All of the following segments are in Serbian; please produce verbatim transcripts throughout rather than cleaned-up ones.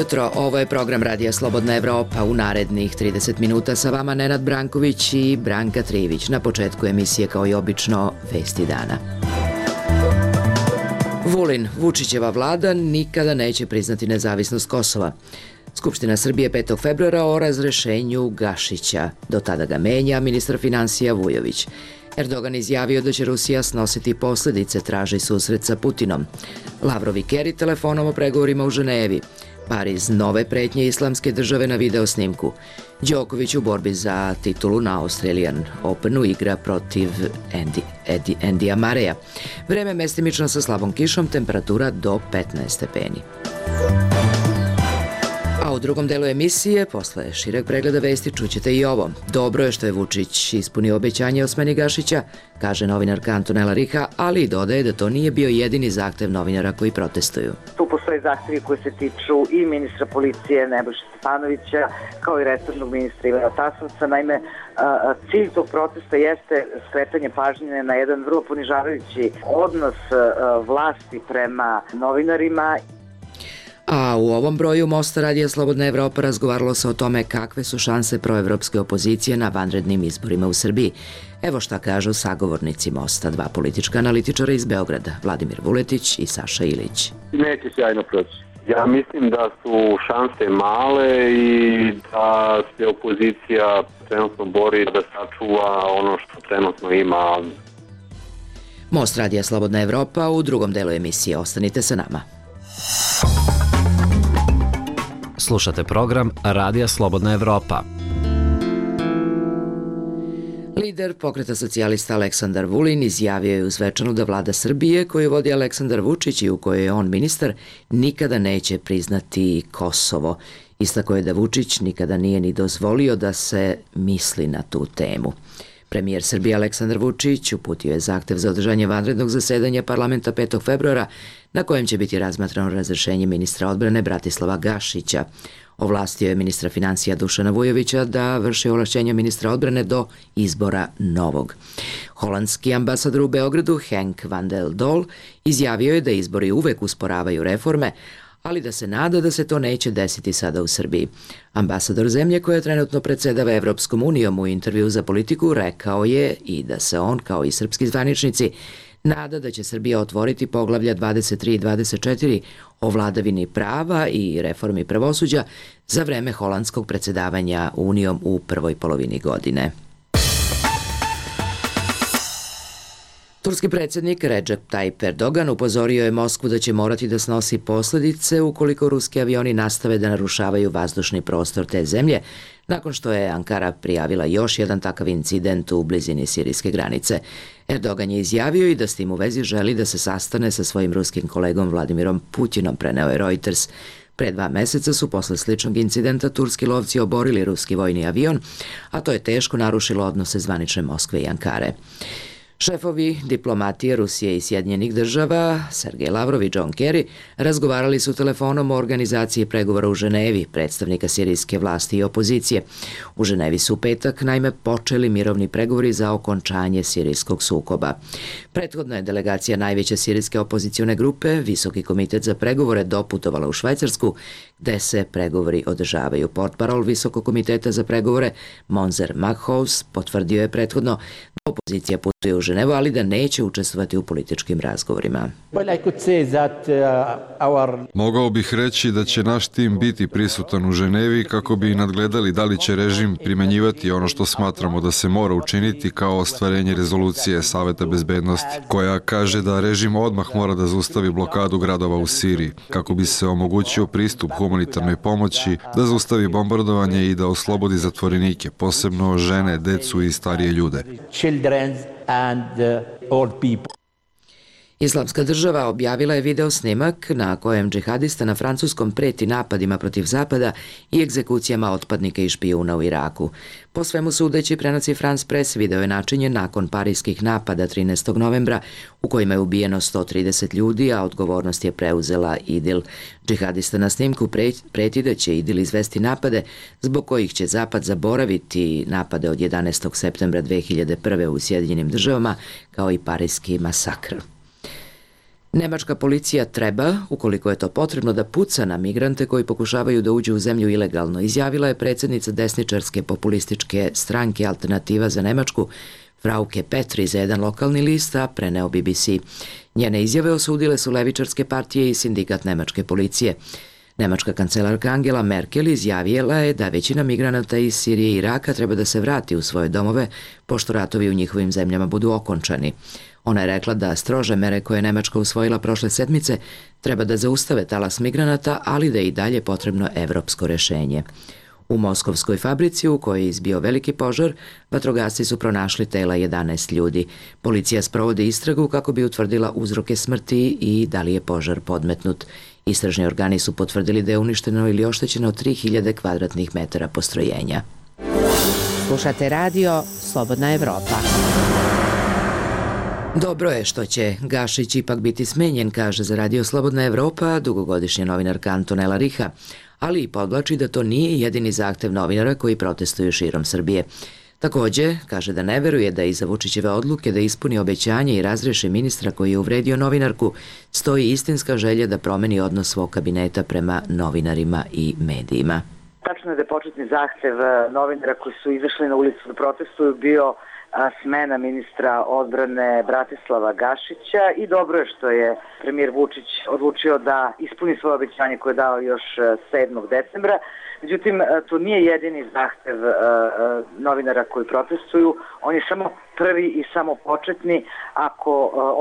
jutro, ovo je program Radija Slobodna Evropa. U narednih trideset minuta sa vama Nenad Branković i Branka Trivić. Na početku emisije, kao i obično, vesti dana. Vulin, Vučićeva vlada nikada neće priznati nezavisnost Kosova. Skupština Srbije petog februara o razrešenju Gašića. Do tada ga menja ministar finansija Vujović. Erdogan izjavio da će Rusija snositi posljedice, traži susret sa Putinom. Lavrov i Keri telefonom o pregovorima u Ženevi. Pariz, nove pretnje islamske države na videosnimku. Đoković u borbi za titulu na Australian Openu igra protiv Andy, Edi, Endija Mareja. Vreme mestimično sa slabom kišom, temperatura do petnaest stepeni. A u drugom delu emisije, posle šireg pregleda vesti, čućete i ovo. Dobro je što je Vučić ispunio obećanje o smeni Gašića, kaže novinarka Antonela Riha, ali i dodaje da to nije bio jedini zahtev novinara koji protestuju. Tu postoje zahtevi koji se tiču i ministra policije Nebojše Stefanovića, kao i resornog ministra Ivana Tasovca. Naime, cilj tog protesta jeste skretanje pažnje na jedan vrlo ponižavajući odnos vlasti prema novinarima. A u ovom broju Mosta Radija Slobodna Evropa razgovaralo se o tome kakve su šanse proevropske opozicije na vanrednim izborima u Srbiji. Evo šta kažu sagovornici Mosta, dva politička analitičara iz Beograda, Vladimir Vuletić i Saša Ilić. Neće sjajno proći. Ja mislim da su šanse male i da se opozicija trenutno bori da sačuva ono što trenutno ima. Most Radija Slobodna Evropa u drugom delu emisije. Ostanite sa nama. Slušate program Radija Slobodna Evropa. Lider Pokreta socijalista Aleksandar Vulin izjavio je u svečanu da vlada Srbije, koju vodi Aleksandar Vučić i u kojoj je on ministar, nikada neće priznati Kosovo. Istakao je da Vučić nikada nije ni dozvolio da se misli na tu temu. Premijer Srbije Aleksandar Vučić uputio je zahtev za održanje vanrednog zasedanja parlamenta petog februara na kojem će biti razmatrano razrešenje ministra odbrane Bratislava Gašića. Ovlastio je ministra finansija Dušana Vujovića da vrši ovlašćenja ministra odbrane do izbora novog. Holandski ambasador u Beogradu Henk van der Dol izjavio je da izbori uvek usporavaju reforme, ali da se nada da se to neće desiti sada u Srbiji. Ambasador zemlje koja trenutno predsedava Evropskom unijom u intervju za Politiku rekao je i da se on, kao i srpski zvaničnici, nada da će Srbija otvoriti poglavlja dvadeset tri i dvadeset četiri o vladavini prava i reformi pravosuđa za vreme holandskog predsedavanja Unijom u prvoj polovini godine. Turski predsjednik Recep Tayyip Erdogan upozorio je Moskvu da će morati da snosi posljedice ukoliko ruski avioni nastave da narušavaju vazdušni prostor te zemlje, nakon što je Ankara prijavila još jedan takav incident u blizini sirijske granice. Erdogan je izjavio i da s tim u vezi želi da se sastane sa svojim ruskim kolegom Vladimirom Putinom, preneo je Reuters. Pre dva meseca su posle sličnog incidenta turski lovci oborili ruski vojni avion, a to je teško narušilo odnose zvanične Moskve i Ankare. Šefovi diplomatije Rusije i Sjedinjenih država, Sergej Lavrov i John Kerry, razgovarali su telefonom o organizaciji pregovora u Ženevi, predstavnika sirijske vlasti i opozicije. U Ženevi su u petak naime počeli mirovni pregovori za okončanje sirijskog sukoba. Prethodno je delegacija najveće sirijske opozicione grupe, Visoki komitet za pregovore, doputovala u Švajcarsku, gde se pregovori održavaju. Portparol Visokog komiteta za pregovore, Monzer Maghaus, potvrdio je prethodno da opozicija putuje u Ženevu, ali da neće učestvovati u političkim razgovorima. Mogao bih reći da će naš tim biti prisutan u Ženevi kako bi nadgledali da li će režim primenjivati ono što smatramo da se mora učiniti kao ostvarenje rezolucije Saveta bezbednosti, koja kaže da režim odmah mora da zaustavi blokadu gradova u Siriji, kako bi se omogućio pristup humanitarnoj pomoći, da zaustavi bombardovanje i da oslobodi zatvorenike, posebno žene, decu i starije ljude. Islamska država objavila je video snimak na kojem džihadista na francuskom preti napadima protiv Zapada i egzekucijama otpadnika i špijuna u Iraku. Po svemu sudeći, prenosi France Press, video je načinjen nakon parijskih napada trinaestog novembra u kojima je ubijeno sto trideset ljudi, a odgovornost je preuzela IDIL. Džihadista na snimku preti da će IDIL izvesti napade zbog kojih će Zapad zaboraviti napade od jedanaestog septembra dve hiljade prve u Sjedinjenim državama, kao i parijski masakr. Nemačka policija treba, ukoliko je to potrebno, da puca na migrante koji pokušavaju da uđu u zemlju ilegalno, izjavila je predsjednica desničarske populističke stranke Alternativa za Nemačku, Frauke Petri, za jedan lokalni list, a preneo B B C. Njene izjave osudile su levičarske partije i sindikat nemačke policije. Nemačka kancelarka Angela Merkel izjavila je da većina migranata iz Sirije i Iraka treba da se vrati u svoje domove, pošto ratovi u njihovim zemljama budu okončani. Ona je rekla da strože mere koje je Nemačka usvojila prošle sedmice treba da zaustave talas migranata, ali da je i dalje potrebno evropsko rešenje. U moskovskoj fabrici u kojoj je izbio veliki požar, vatrogasci su pronašli tela jedanaest ljudi. Policija sprovodi istragu kako bi utvrdila uzroke smrti i da li je požar podmetnut. Istražni organi su potvrdili da je uništeno ili oštećeno tri hiljade kvadratnih metara postrojenja. Slušate radio Slobodna Evropa. Dobro je što će Gašić ipak biti smenjen, kaže za radio Slobodna Evropa dugogodišnja novinarka Antonela Riha, ali i podvlači da to nije jedini zahtev novinara koji protestuju širom Srbije. Takođe, kaže da ne veruje da iza Vučićeve odluke da ispuni obećanje i razreši ministra koji je uvredio novinarku stoji istinska želja da promeni odnos svog kabineta prema novinarima i medijima. Tačno je da je početni zahtev novinara koji su izašli na ulicu da protestuju bio smena ministra odbrane Bratislava Gašića i dobro je što je premijer Vučić odlučio da ispuni svoje obećanje koje je dao još sedmog decembra. Međutim, to nije jedini zahtev novinara koji protestuju, on je samo prvi i samo početni. Ako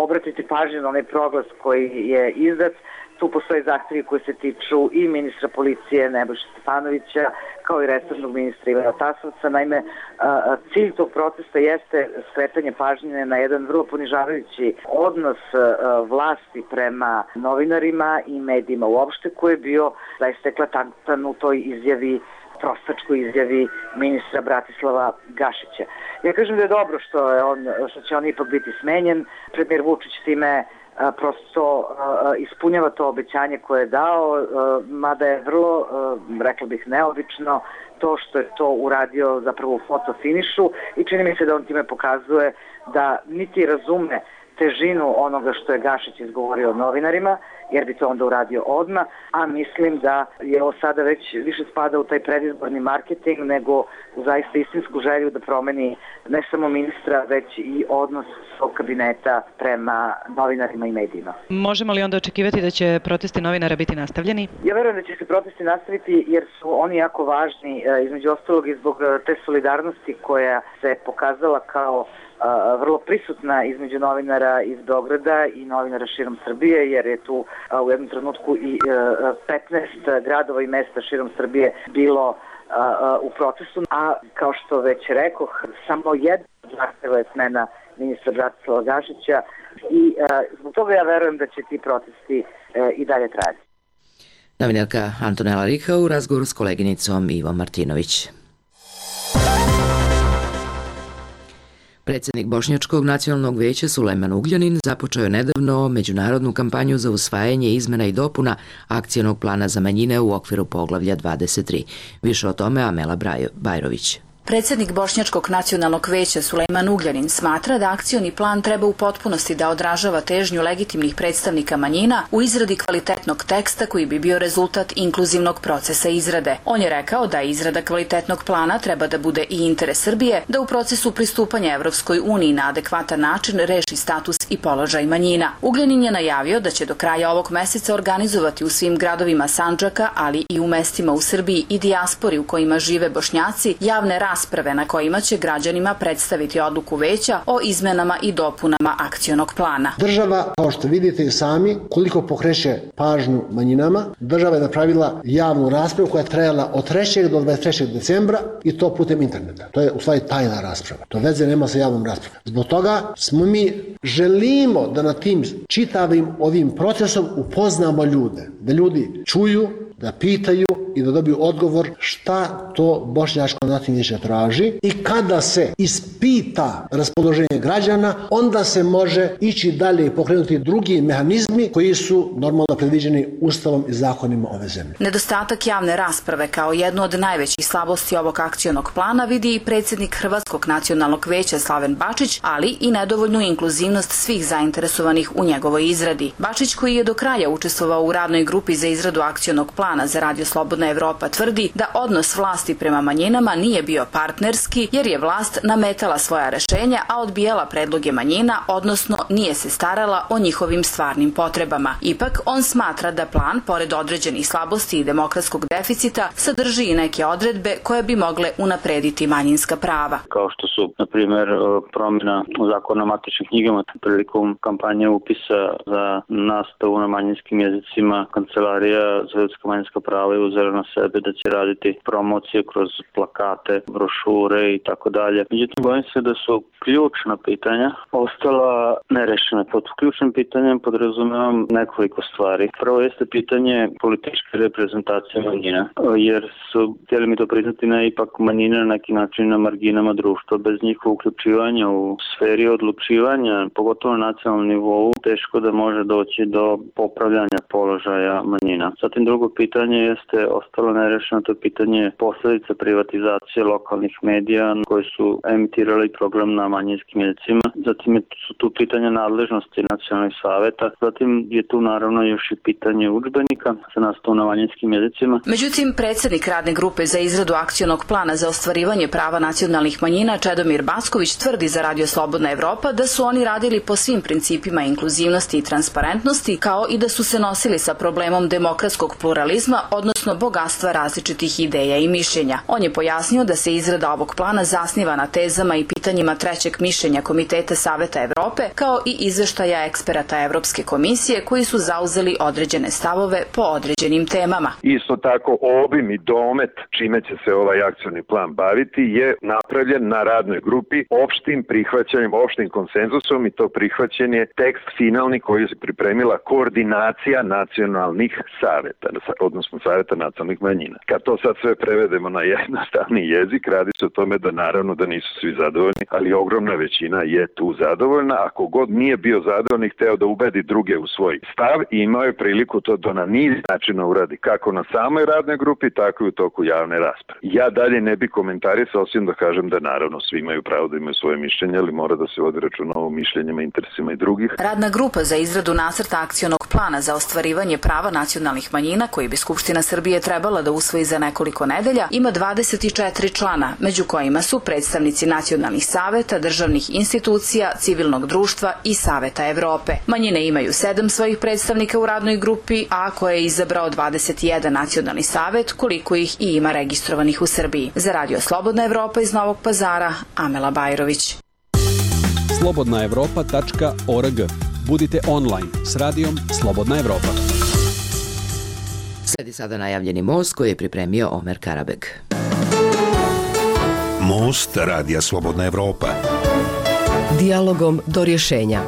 obratite pažnju na onaj proglas koji je izdat, tu postoje zahtevi koji se tiču i ministra policije Nebojše Stefanovića, kao i resornog ministra Ivana Tasovca. Naime, cilj tog protesta jeste skretanje pažnje na jedan vrlo ponižavajući odnos vlasti prema novinarima i medijima uopšte, koji je bio zaista eklatantan u toj izjavi, prostačkoj izjavi ministra Bratislava Gašića. Ja kažem da je dobro što, je on, što će on ipak biti smenjen. Premijer Vučić time prosto ispunjava to obećanje koje je dao, mada je vrlo, rekla bih, neobično to što je to uradio zapravo u fotofinišu i čini mi se da on time pokazuje da niti razume težinu onoga što je Gašić izgovorio novinarima, jer bi to onda uradio odmah, a mislim da je ovo sada već više spada u taj predizborni marketing nego u zaista istinsku želju da promeni ne samo ministra, već i odnos svog kabineta prema novinarima i medijima. Možemo li onda očekivati da će protesti novinara biti nastavljeni? Ja verujem da će se protesti nastaviti jer su oni jako važni, između ostalog i zbog te solidarnosti koja se pokazala kao vrlo prisutna između novinara iz Beograda i novinara širom Srbije, jer je tu u jednom trenutku i petnaest gradova i mesta širom Srbije bilo u protestu, a kao što već rekoh, samo jedna zahteva je smena ministra Bratislava Gašića i zbog toga ja verujem da će ti protesti i dalje trajati. Novinarka Antonela Riha u razgovoru s koleginicom Ivom Martinović. Predsjednik Bošnjačkog nacionalnog veća Sulejman Ugljanin započeo je nedavno međunarodnu kampanju za usvajanje izmena i dopuna akcionog plana za manjine u okviru poglavlja dvadeset tri. Više o tome Amela Bajrović. Predsjednik Bošnjačkog nacionalnog veća Sulejman Ugljanin smatra da akcioni plan treba u potpunosti da odražava težnju legitimnih predstavnika manjina u izradi kvalitetnog teksta koji bi bio rezultat inkluzivnog procesa izrade. On je rekao da izrada kvalitetnog plana treba da bude i interes Srbije, da u procesu pristupanja Evropskoj uniji na adekvatan način reši status i položaj manjina. Ugljanin je najavio da će do kraja ovog meseca organizovati u svim gradovima Sandžaka, ali i u mestima u Srbiji i dijaspori u kojima žive Bošnjaci, javne rasprave na kojima će građanima predstaviti odluku veća o izmenama i dopunama akcionog plana. Država, kao što vidite i sami, koliko pokreće pažnju manjinama, država je napravila javnu raspravu koja je trajala od trećeg do dvadeset trećeg decembra i to putem interneta. To je u stvari tajna rasprava. To veze nema sa javnom raspravom. Zbog toga smo mi želimo da na tim čitavim ovim procesom upoznamo ljude, da ljudi čuju da pitaju i da dobiju odgovor šta to Bošnjačko nacionalno vijeće traži i kada se ispita raspoloženje građana, onda se može ići dalje i pokrenuti drugi mehanizmi koji su normalno predviđeni Ustavom i zakonima ove zemlje. Nedostatak javne rasprave kao jednu od najvećih slabosti ovog akcionog plana vidi i predsjednik Hrvatskog nacionalnog vijeća Slaven Bačić, ali i nedovoljnu inkluzivnost svih zainteresovanih u njegovoj izradi. Bačić, koji je do kraja učestvovao u radnoj grupi za izradu akcionog plana za Radio Slobodna Evropa, tvrdi da odnos vlasti prema manjinama nije bio partnerski jer je vlast nametala svoja rešenja, a odbijala predloge manjina, odnosno nije se starala o njihovim stvarnim potrebama. Ipak, on smatra da plan, pored određenih slabosti i demokratskog deficita, sadrži i neke odredbe koje bi mogle unaprediti manjinska prava. Kao što su, na primjer, promjena zakona o matičnim knjigama prilikom kampanje upisa za nastavu na manjinskim jezicima, Kancelarija za ljudska manjinska prava je uzela na sebe da će raditi promocije kroz plakate, brošure i tako dalje. Međutim, bojim se da su ključna pitanja ostala nerešena. Pod ključnim pitanjem podrazumevam nekoliko stvari. Prvo jeste pitanje političke reprezentacije manjina, jer su, htjeli mi to priznati, ne ipak manjine na neki način na marginama društva. Bez njihovog uključivanja u sferi odlučivanja, pogotovo na nacionalnom nivou, teško da može doći do popravljanja položaja manjina. Zatim drugo pitanje jeste ostalo nerešeno, to je pitanje posljedica privatizacije lokalnih medija koji su emitirali program na manjinskim jezicima. Zatim su tu pitanja nadležnosti nacionalnih saveta. Zatim je tu naravno još i pitanje udžbenika za nastavu na manjinskim jezicima. Međutim, predsjednik radne grupe za izradu akcionog plana za ostvarivanje prava nacionalnih manjina Čedomir Backović tvrdi za Radio Slobodna Evropa da su oni radili po svim principima inkluzivnosti i transparentnosti, kao i da su se nosili sa problemom demokratskog pluralizma, odnosno bogatstva različitih ideja i mišljenja. On je pojasnio da se izrada ovog plana zasniva na tezama i pitanjima trećeg mišljenja Komiteta Saveta Evrope, kao i izveštaja eksperata Evropske komisije koji su zauzeli određene stavove po određenim temama. Isto tako, obim i domet čime će se ovaj akcioni plan baviti je napravljen na radnoj grupi opštim prihvaćanjem, opštim konsenzusom, i to prihvaćen je tekst finalni koji je pripremila koordinacija nacionalnih saveta, odnosno saveta nacionalnih manjina. Kad to sad sve prevedemo na jednostavni jezik, radi se o tome da naravno da nisu svi zadovoljni, ali ogromna većina je tu zadovoljna. Ako god nije bio zadovoljni, hteo da ubedi druge u svoj stav i imao je priliku to da na niz načina uradi, kako na samoj radnoj grupi, tako i u toku javne rasprave. Ja dalje ne bi komentarisao, osim da kažem da naravno svi imaju pravo da imaju svoje mišljenje, ali mora da se vodi računa o mišljenjima i interesima i drugih. Radna grupa za izradu nacrta akcionog plana za ostvarivanje prava nacionalnih manjina, koji bi Skupština Srbije trebala da usvoji za nekoliko nedelja, ima dvadeset četiri člana, među kojima su predstavnici nacionalnih saveta, državnih institucija, civilnog društva i Saveta Evrope. Manjine imaju sedam svojih predstavnika u radnoj grupi, a koje je izabrao dvadeset jedan nacionalni savet, koliko ih i ima registrovanih u Srbiji. Za Radio Slobodna Evropa iz Novog Pazara, Amela Bajrović. slobodna evropa tačka org. Budite online s radijom Slobodna Evropa. Sledi sada najavljeni most koji je pripremio Omer Karabeg. Most Radija Slobodna Evropa. Dijalogom do rješenja.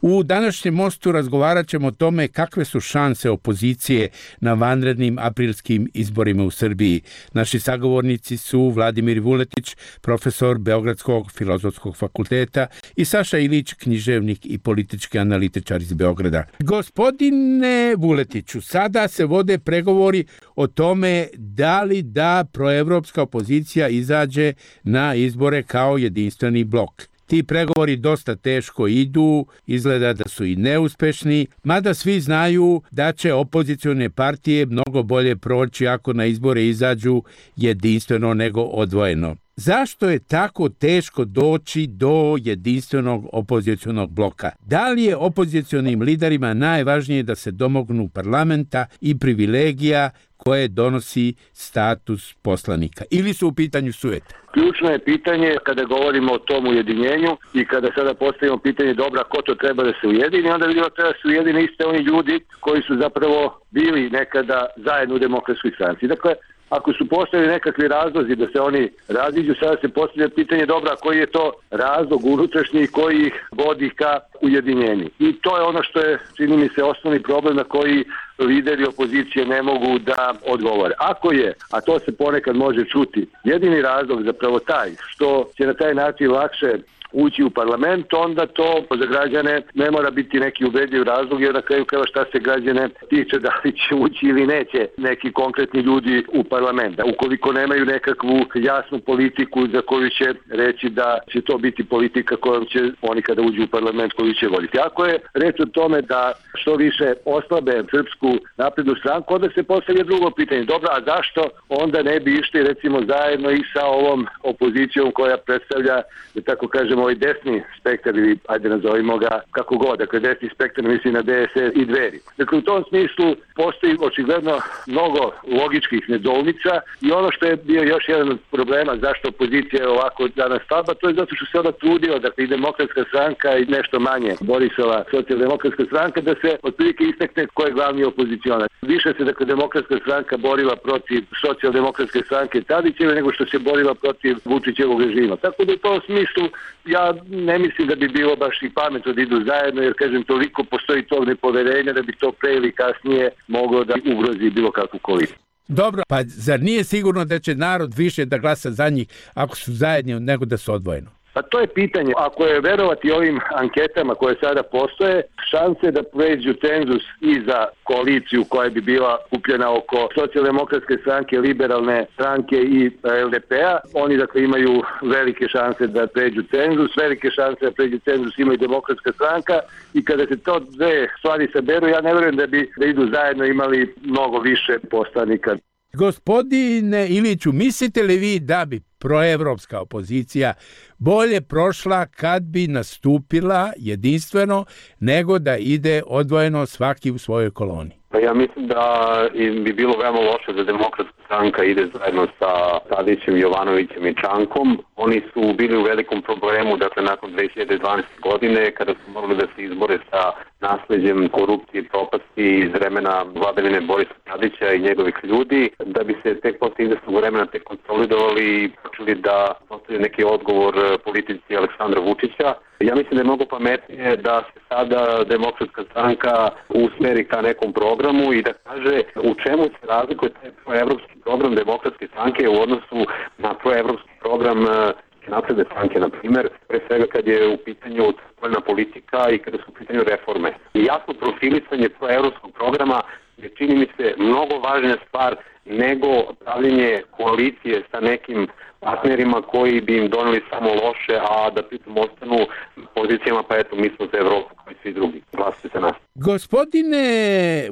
U današnjem mostu razgovarat ćemo o tome kakve su šanse opozicije na vanrednim aprilskim izborima u Srbiji. Naši sagovornici su Vladimir Vuletić, profesor Beogradskog filozofskog fakulteta, i Saša Ilić, književnik i politički analitičar iz Beograda. Gospodine Vuletiću, sada se vode pregovori o tome da li da proevropska opozicija izađe na izbore kao jedinstveni blok. Ti pregovori dosta teško idu, izgleda da su i neuspešni, mada svi znaju da će opozicione partije mnogo bolje proći ako na izbore izađu jedinstveno nego odvojeno. Zašto je tako teško doći do jedinstvenog opozicionog bloka? Da li je opozicionim liderima najvažnije da se domognu parlamenta i privilegija koje donosi status poslanika? Ili su u pitanju sujete? Ključno je pitanje kada govorimo o tom ujedinjenju i kada sada postavimo pitanje dobra ko to treba da se ujedini, onda vidimo da treba da se ujedine iste oni ljudi koji su zapravo bili nekada zajedno u Demokratskoj stranci. Dakle, ako su postavili nekakvi razlozi da se oni raziđu, sada se postavlja pitanje dobra, koji je to razlog unutrašnji koji ih vodi ka ujedinjenju. I to je ono što je, čini mi se, osnovni problem na koji lideri opozicije ne mogu da odgovore. Ako je, a to se ponekad može čuti, jedini razlog zapravo taj što će na taj način lakše ući u parlament, onda to za građane ne mora biti neki ubedljiv razlog, jer na kraju krajeva šta se građane tiče, da li će ući ili neće neki konkretni ljudi u parlament. Ukoliko nemaju nekakvu jasnu politiku za koju će reći da će to biti politika kojom će oni kada uđu u parlament koju će voditi. Ako je reč o tome da što više oslabe Srpsku naprednu stranku, onda se postavlja drugo pitanje. Dobro, a zašto onda ne bi išli recimo zajedno i sa ovom opozicijom koja predstavlja, da tako kažem, ovaj desni spektar, ili ajde nazovimo ga kako god, dakle desni spektar misli na D S S i Dveri. Dakle, u tom smislu postoji očigledno mnogo logičkih nedoumica i ono što je bio još jedan od problema zašto opozicija je ovako danas slaba, to je zato što se ona trudila, dakle i Demokratska stranka i nešto manje Borisova socijaldemokratska stranka, da se otprilike istakne ko je glavni opozicionar. Više se, dakle, Demokratska stranka borila protiv socijaldemokratske stranke Tadićeve nego što se borila protiv Vučićevog režima. Tako da u tom smislu ja ne mislim da bi bilo baš i pametno da idu zajedno, jer kažem, toliko postoji tog nepoverenja da bi to pre ili kasnije moglo da ugrozi bilo kakvu koaliciju. Dobro, pa zar nije sigurno da će narod više da glasa za njih ako su zajedni nego da su odvojeno? Pa to je pitanje. Ako je verovati ovim anketama koje sada postoje, šanse da pređu cenzus i za koaliciju koja bi bila kupljena oko socijaldemokratske stranke, liberalne stranke i L D P-a, oni dakle imaju velike šanse da pređu cenzus, velike šanse da pređu cenzus ima i Demokratska stranka, i kada se to dve stvari saberu, ja ne verujem da bi da idu zajedno imali mnogo više poslanika. Gospodine Iliću, mislite li vi da bi proevropska opozicija bolje prošla kad bi nastupila jedinstveno nego da ide odvojeno svaki u svojoj koloni? Pa ja mislim da bi bilo veoma loše da Demokratska stranka ide zajedno sa Tadićem, Jovanovićem i Čankom. Oni su bili u velikom problemu, dakle, nakon dve hiljade dvanaeste. godine, kada su morali da se izbore sa nasleđem korupcije i propasti iz vremena vladavine Borisa Tadića i njegovih ljudi, da bi se tek posle izvesnog vremena tek konsolidovali i počeli da postavljaju neki odgovor politici Aleksandra Vučića. Ja mislim da je mnogo pametnije da se sada Demokratska stranka usmeri ka nekom programu i da kaže u čemu se razlikuje taj proevropski program Demokratske stranke u odnosu na proevropski program Napredne stranke, na primjer, pre svega kad je u pitanju spoljna politika i kada su u pitanju reforme. I jasno profilisanje proevropskog programa je, čini mi se, mnogo važna stvar nego pravljenje koalicije sa nekim partnerima koji bi im doneli samo loše, a da pritom ostanu pozicijama, pa eto, mi smo za Evropu kao i svi drugi. Glasite se nas. Gospodine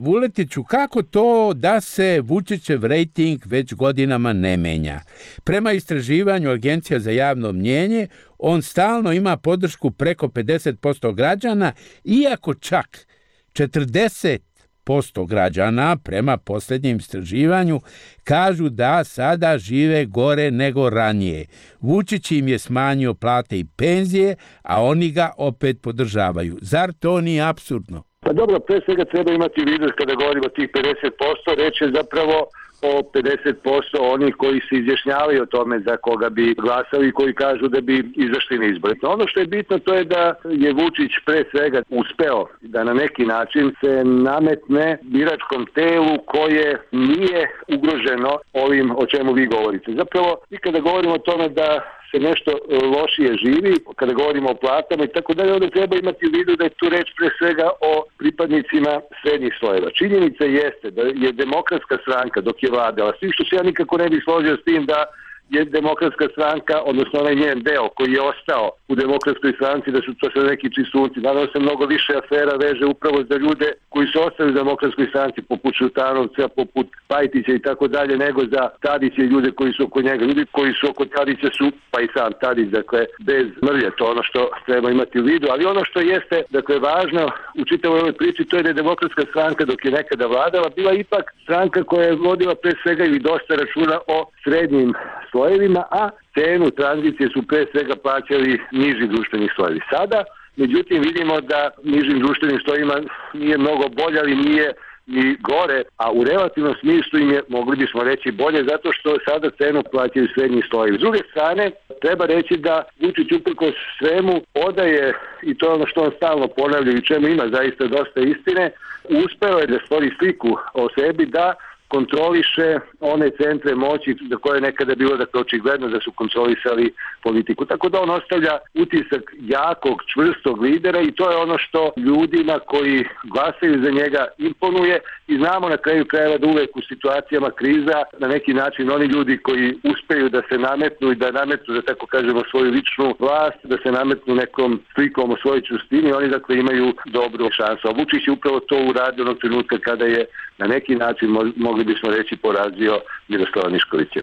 Vuletiću, kako to da se Vučićev rejting već godinama ne menja? Prema istraživanju Agencija za javno mnjenje, on stalno ima podršku preko pedeset posto građana, iako čak četrdeset posto građana prema posljednjem istraživanju kažu da sada žive gore nego ranije. Vučić im je smanjio plate i penzije, a oni ga opet podržavaju. Zar to nije apsurdno? Pa dobro, pre svega treba imati u vidu kada govorimo o tih pedeset posto, reč je zapravo o pedeset posto onih koji se izjašnjavaju o tome za koga bi glasali i koji kažu da bi izašli na izbore. Ono što je bitno to je da je Vučić pre svega uspeo da na neki način se nametne biračkom telu koje nije ugroženo ovim o čemu vi govorite. Zapravo, i kada govorimo o tome da se nešto lošije živi, kada govorimo o platama i tako dalje, onda treba imati u vidu da je tu reč pre svega o pripadnicima srednjih slojeva. Činjenica jeste da je Demokratska stranka dok je vladala, svi što se ja nikako ne bih složio s tim da je Demokratska stranka, odnosno onaj njen deo koji je ostao u Demokratskoj stranci, da su to sve neki čisunci. Naravno se mnogo više afera veže upravo za ljude koji su ostali u Demokratskoj stranci, poput Šutanovca, poput Pajtića i tako dalje, nego za Tadića i ljude koji su oko njega. Ljudi koji su oko Tadića su, pa i sam Tadić, dakle, bez mrlje, to ono što treba imati u vidu. Ali ono što jeste, dakle, važno u čitavoj ovoj priči, to je da je Demokratska stranka dok je nekada vladala, bila ipak stranka koja je vodila pre svega ili dosta računa o srednjim slojevima, a cenu tranzicije su pre svega plaćali niži društveni slojevi. Sada, međutim, vidimo da nižim društvenim slojevima nije mnogo bolje, ali nije i gore, a u relativnom smislu im je, mogli bismo reći, bolje zato što sada cenu plaćaju srednji slojevi. S druge strane, treba reći da Vučić uprkos svemu odaje, i to je ono što on stalno ponavlja i čemu ima zaista dosta istine, uspeo je da stvori sliku o sebi da kontroliše one centre moći za koje je nekada bilo dakle očigledno da su kontrolisali politiku. Tako da on ostavlja utisak jakog, čvrstog lidera i to je ono što ljudima koji glasaju za njega imponuje i znamo na kraju krajeva da uvek u situacijama kriza na neki način oni ljudi koji uspeju da se nametnu i da nametnu, da tako kažemo, svoju ličnu vlast, da se nametnu nekom slikom o svojoj čvrstini, oni dakle imaju dobru šansu. A Vučić je upravo to uradio onog trenutka kada je na neki način mogli bismo reći porazio Miroslava Miškovića.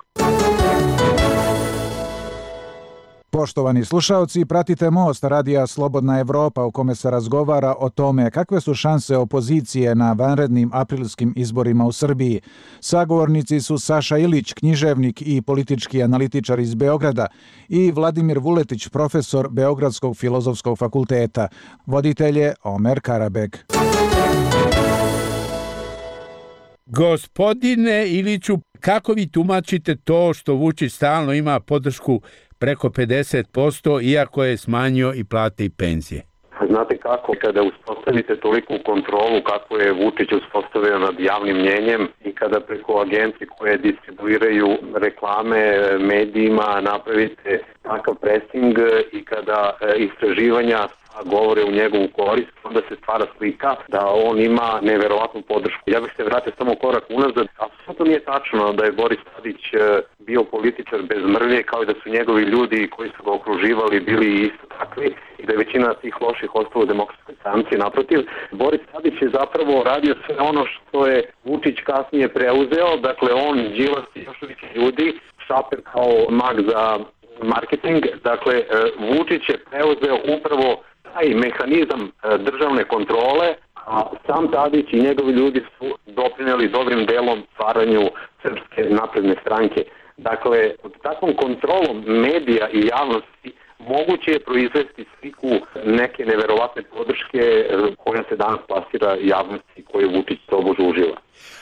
Poštovani slušaoci, pratite Most Radija Slobodna Evropa u kome se razgovara o tome kakve su šanse opozicije na vanrednim aprilskim izborima u Srbiji. Sagovornici su Saša Ilić, književnik i politički analitičar iz Beograda, i Vladimir Vuletić, profesor Beogradskog filozofskog fakulteta. Voditelj je Omer Karabek. Gospodine Iliću, kako vi tumačite to što Vučić stalno ima podršku preko pedeset posto, iako je smanjio i plate i penzije? Znate kako, kada uspostavite toliku kontrolu kako je Vučić uspostavio nad javnim mnjenjem i kada preko agencije koje distribuiraju reklame medijima napravite takav pressing i kada istraživanja govore u njegovu korist, onda se stvara slika da on ima neverovatnu podršku. Ja bih se vratio samo korak unazad. Apsolutno nije tačno da je Boris Tadić bio političar bez mrlje, kao i da su njegovi ljudi koji su ga okruživali bili isto takvi i da je većina tih loših ostalo u Demokratskoj stranci. Naprotiv, Boris Tadić je zapravo radio sve ono što je Vučić kasnije preuzeo, dakle on, Đilas i još više ljudi, Šaper kao mag za marketing, dakle Vučić je preuzeo upravo taj mehanizam državne kontrole, a sam Tadić i njegovi ljudi su doprineli dobrim delom stvaranju Srpske napredne stranke. Dakle, pod takvom kontrolom medija i javnosti moguće je proizvesti sliku neke neverovatne podrške koja se danas plasira javnosti koju Vučić tobože uživa.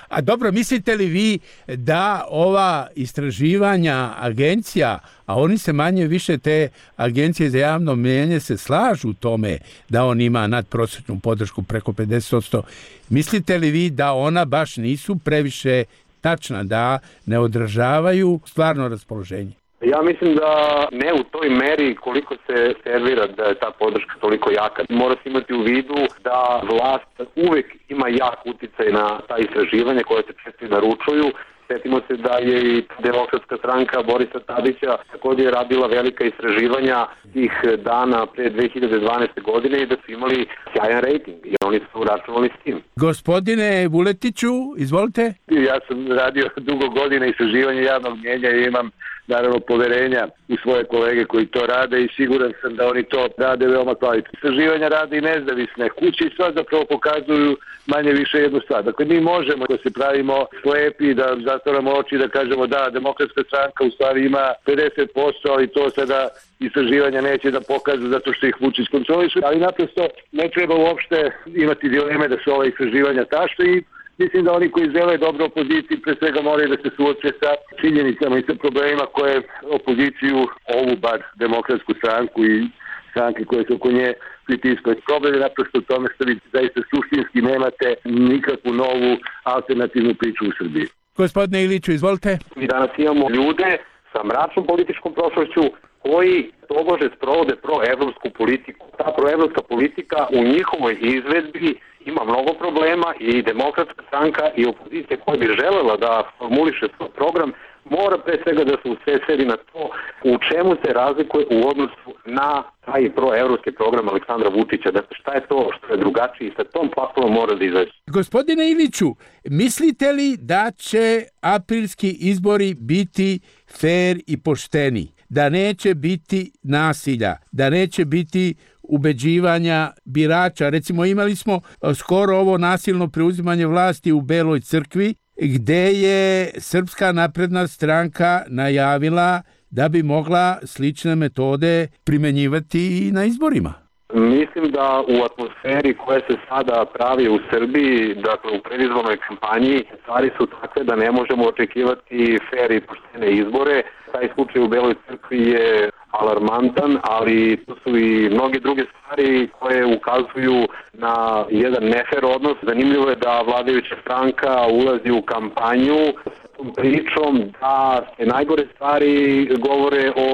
A dobro, mislite li vi da ova istraživanja agencija, a oni se manje više te agencije za javno mnijenje se slažu u tome da on ima nadprosječnu podršku preko pedeset posto, mislite li vi da ona baš nisu previše tačna, da ne odražavaju stvarno raspoloženje? Ja mislim da ne u toj meri koliko se servira da je ta podrška toliko jaka. Mora se imati u vidu da vlast uvek ima jak uticaj na ta istraživanja koje se često naručuju. Sjetimo se da je i Demokratska stranka Borisa Tadića također radila velika istraživanja tih dana pre dve hiljade dvanaeste. godine i da su imali sjajan rejting i oni su računali s tim. Gospodine Vuletiću, izvolite. Ja sam radio dugo godina istraživanja javnog mnjenja i imam naravno poverenja u svoje kolege koji to rade i siguran sam da oni to rade veoma kvalitetno. Istraživanja rade i nezavisne kuće i sva zapravo pokazuju manje više jednu stvar. Dakle, mi možemo da se pravimo slepi, da zatvoramo oči, da kažemo da Demokratska stranka u stvari ima pedeset posto, ali to sada istraživanja neće da pokažu zato što ih Vučić kontroliše, ali naprosto ne treba uopšte imati dileme da su ova istraživanja tašna i mislim da oni koji žele dobro opoziciji pre svega moraju da se suoče sa činjenicama i sa problemima koje opoziciju, ovu bar Demokratsku stranku i stranke koje su oko nje pritiskaju. Problem je naprosto u tome što vi zaista suštinski nemate nikakvu novu alternativnu priču u Srbiji. Gospodine Iliću, izvolite. Mi danas imamo ljude sa mračnom političkom prošlošću koji tobože sprovode proevropsku politiku. Ta proevropska politika u njihovoj izvedbi ima mnogo problema i Demokratska stranka i opozicija koja bi želela da formuliše svoj program mora pre svega da se usredsredi na to u čemu se razlikuje u odnosu na taj proevropski program Aleksandra Vučića. Dakle, šta je to što je drugačije i sa tom platformom mora da izaći. Gospodine Iliću, mislite li da će aprilski izbori biti fer i pošteni? Da neće biti nasilja, da neće biti ubeđivanja birača. Recimo, imali smo skoro ovo nasilno preuzimanje vlasti u Beloj crkvi, gde je Srpska napredna stranka najavila da bi mogla slične metode primenjivati i na izborima. Mislim da u atmosferi koja se sada pravi u Srbiji, dakle u predizbornoj kampanji, stvari su takve da ne možemo očekivati fer i poštene izbore. Taj slučaj u Beloj crkvi je alarmantan, ali to su i mnoge druge stvari koje ukazuju na jedan nefer odnos. Zanimljivo je da vladajuća stranka ulazi u kampanju s tom pričom da se najgore stvari govore o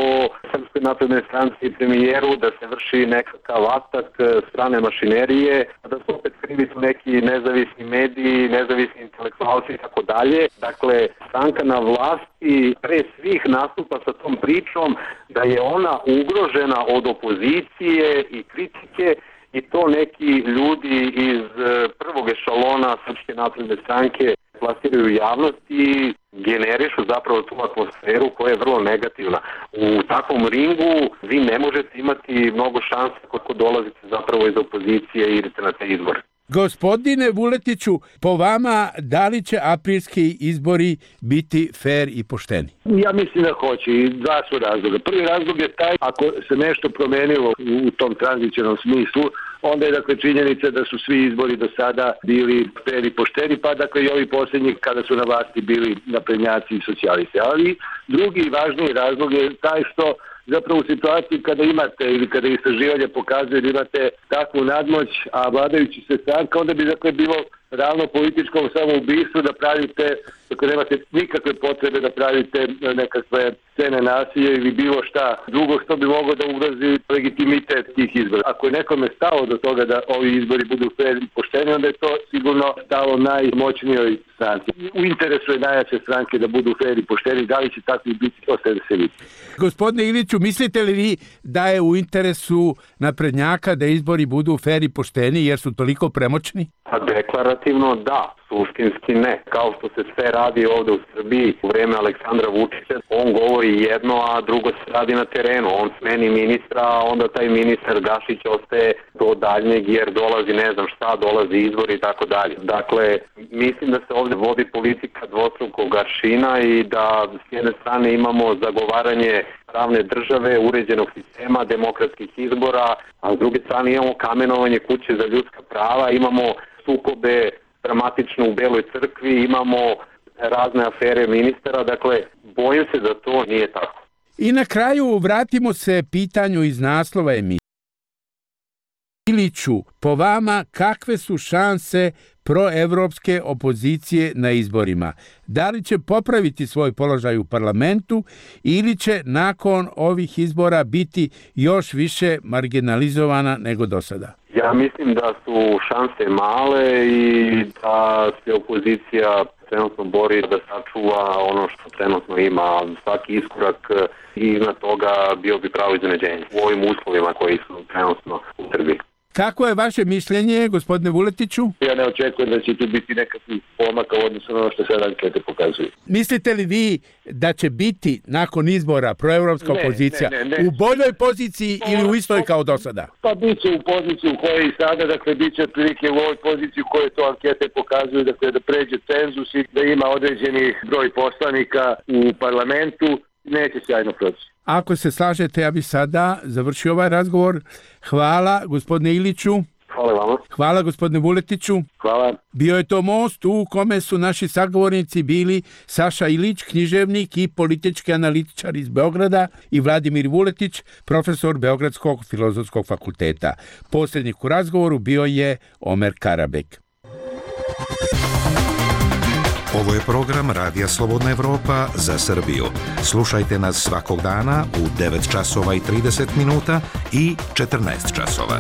Srpskoj naprednoj stranci i premijeru, da se vrši nekakav atak strane mašinerije, da su opet krivi su neki nezavisni mediji, nezavisni intelektualci i tako dalje. Dakle, stranka na vlasti pre svih nastupa sa tom pričom da je ona ugrožena od opozicije i kritike i to neki ljudi iz prvog ešalona Srpske napredne stranke plasiraju javnost i generišu zapravo tu atmosferu koja je vrlo negativna. U takvom ringu vi ne možete imati mnogo šanse kako dolazite zapravo iz opozicije i idete na te izbore. Gospodine Vuletiću, po vama, da li će aprilski izbori biti fer i pošteni? Ja mislim da hoće i dva su razloga. Prvi razlog je taj, ako se nešto promenilo u tom tranzicionom smislu, onda je dakle činjenica da su svi izbori do sada bili fer i pošteni, pa dakle i ovi posljednji kada su na vlasti bili naprednjaci i socijalisti. Ali drugi i važniji razlog je taj što zapravo u situaciji kada imate ili kada istraživanje pokazuje da imate takvu nadmoć, a vladajući se stranka, onda bi dakle bilo ravno političkom samoubistvu da pravite, dakle nemate nikakve potrebe da pravite nekakve scene nasilja ili bilo šta drugo što bi moglo da ugrozi legitimitet tih izbora. Ako je nekome stalo do toga da ovi izbori budu fer i pošteni, onda je to sigurno stalo najmoćnijoj stranci. U interesu je najjače stranke da budu fer i pošteni, da li će takvi biti, ostaje da se vidi. Gospodine Iliću, mislite li vi da je u interesu naprednjaka da izbori budu fer i pošteni jer su toliko premoćni? A deklarativno da, suštinski ne. Kao što se sve radi ovde u Srbiji u vreme Aleksandra Vučića, on govori jedno, a drugo se radi na terenu. On smeni ministra, a onda taj ministar Gašić ostaje do daljnjeg jer dolazi ne znam šta, dolazi izbori i tako dalje. Dakle, mislim da se ovde vodi politika dvostrukog aršina i da s jedne strane imamo zagovaranje pravne države, uređenog sistema, demokratskih izbora, a s druge strane imamo kamenovanje kuće za ljudska prava, imamo sukobe dramatično u Beloj crkvi, imamo razne afere ministara, dakle, bojim se da to nije tako. I na kraju vratimo se pitanju iz naslova emisije. Iliću, po vama, kakve su šanse proevropske opozicije na izborima? Da li će popraviti svoj položaj u parlamentu ili će nakon ovih izbora biti još više marginalizovana nego do sada? Ja mislim da su šanse male i da se opozicija trenutno bori da sačuva ono što trenutno ima. Svaki iskorak i iznad toga bio bi pravo iznenađenje u ovim uslovima koji su trenutno u Srbiji. Kako je vaše mišljenje, gospodine Vuletiću? Ja ne očekujem da će tu biti nekakvih pomaka u odnosu na ono što sad ankete pokazuju. Mislite li vi da će biti nakon izbora proevropska opozicija ne, ne, ne. u boljoj poziciji ili u istoj kao do sada? Pa bit će u poziciji u kojoj i sada, dakle bit će prilike u ovoj poziciji u kojoj to ankete pokazuju, dakle da pređe cenzus i da ima određeni broj poslanika u parlamentu, neće sjajno proći. Ako se slažete, ja bih sada završio ovaj razgovor. Hvala, gospodine Iliću. Hvala vama. Hvala, gospodine Vuletiću. Hvala. Bio je to most u kome su naši sagovornici bili Saša Ilić, književnik i politički analitičar iz Beograda, i Vladimir Vuletić, profesor Beogradskog filozofskog fakulteta. Posrednik u razgovoru bio je Omer Karabek. Ovo je program Radija Slobodna Evropa za Srbiju. Slušajte nas svakog dana u devet časova i trideset minuta i četrnaest časova.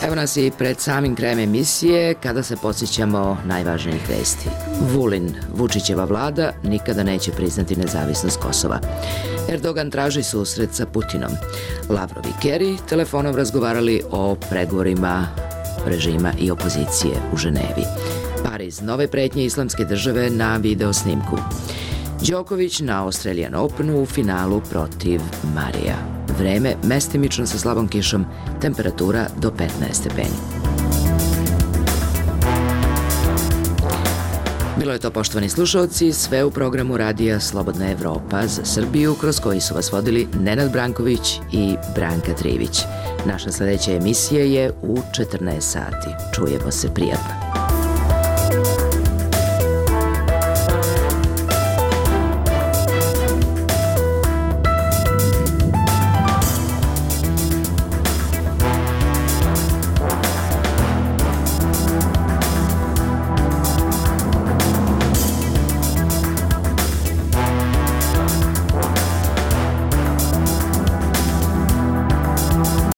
Evo nas i pred samim krajem emisije kada se podsjećamo najvažnijih vesti. Vulin, Vučićeva vlada, nikada neće priznati nezavisnost Kosova. Erdogan traži susret sa Putinom. Lavrov i Kerry telefonom razgovarali o pregovorima režima i opozicije u Ženevi. Pariz, nove pretnje islamske države na video snimku. Đoković na Australian Openu u finalu protiv Marija. Vreme mestimično sa slabom kišom, temperatura do petnaest stepeni. Bilo je to, poštovani slušalci, sve u programu radija Slobodna Evropa za Srbiju, kroz koji su vas vodili Nenad Branković i Branka Trivić. Naša sledeća emisija je u četrnaest sati. Čujemo se, prijatno.